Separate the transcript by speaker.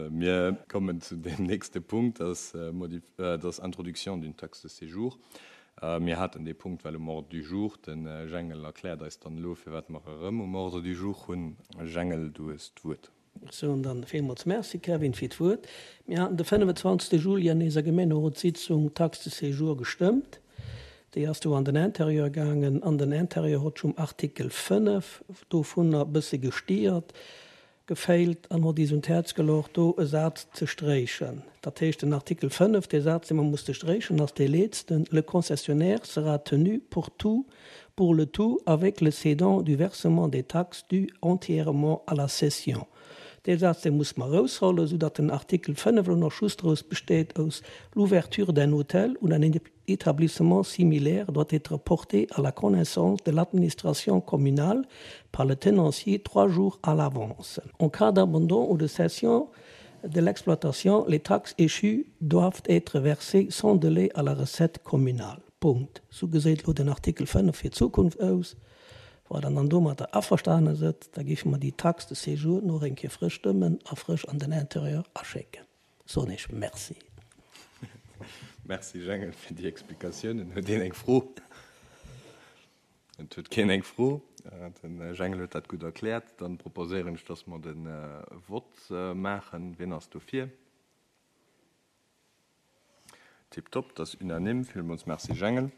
Speaker 1: Mir kommen zu deem nächste Punkt, dat ass Introduction d'une taxe de séjour. Mir haten dee Punkt well um Ordre du jour. De Jengel erkläert eis dann elo, firwat mer e rëm um Ordre du jour hunn. Jengel, du hues d'Wuert.
Speaker 2: Ech soen dann villmools Merci, Kevin, fir d'Wuert. Mir haten de 25. Juli an eiser Gemeenerotssitzung d'Taxe de séjour gestëmmt. Déi ass du an den Intérieur gaangen an den Intérieur hott um Artikel 5 dovunner e bësse gestiert, geféilt an hott is un d'Häerz gelocht, do e Saz ze stréichen. Dat heescht, den Artikel 5, dee Saz, dee mer musste stréichen, ass dee letzten, Le concessionnaire sera tenu pour tout pour le tout avec le cédant du versement des taxes dues entièrement à la cession. Dee Saz, dee muss mer eraushollen, soudatt den Artikel 5 elo nach just draus besteet aus L'ouverture d'un hôtel ou d'un établissement similaire doit être portée à la connaissance de l'administration communale par le tenancier trois jours à l'avance. En cas d'abandon ou de cession de l'exploitation, les taxes échues doivent être versées sans délai à la recette communale. Punkt. Sou geséit elo den Artikel 5 fir d'Zukunft aus. Wa Der dann domatter averstane sëtt, da géife mer déi Taxe de séjour nach eng Kéier frësch stëmmen a frësch an den Intérieur aschécken. Soen ech Merci.
Speaker 1: Merci Jengel fir déi Explikatiounen. Huet een eng Fro? Et huet keen eng Fro. Den Jengel huet dat gutt erkläert. Dann proposéieren ech, dass mer de Vott maachen. Wien ass dofir? Tiptop, dat ass unanime. Villmools Merci Jengel.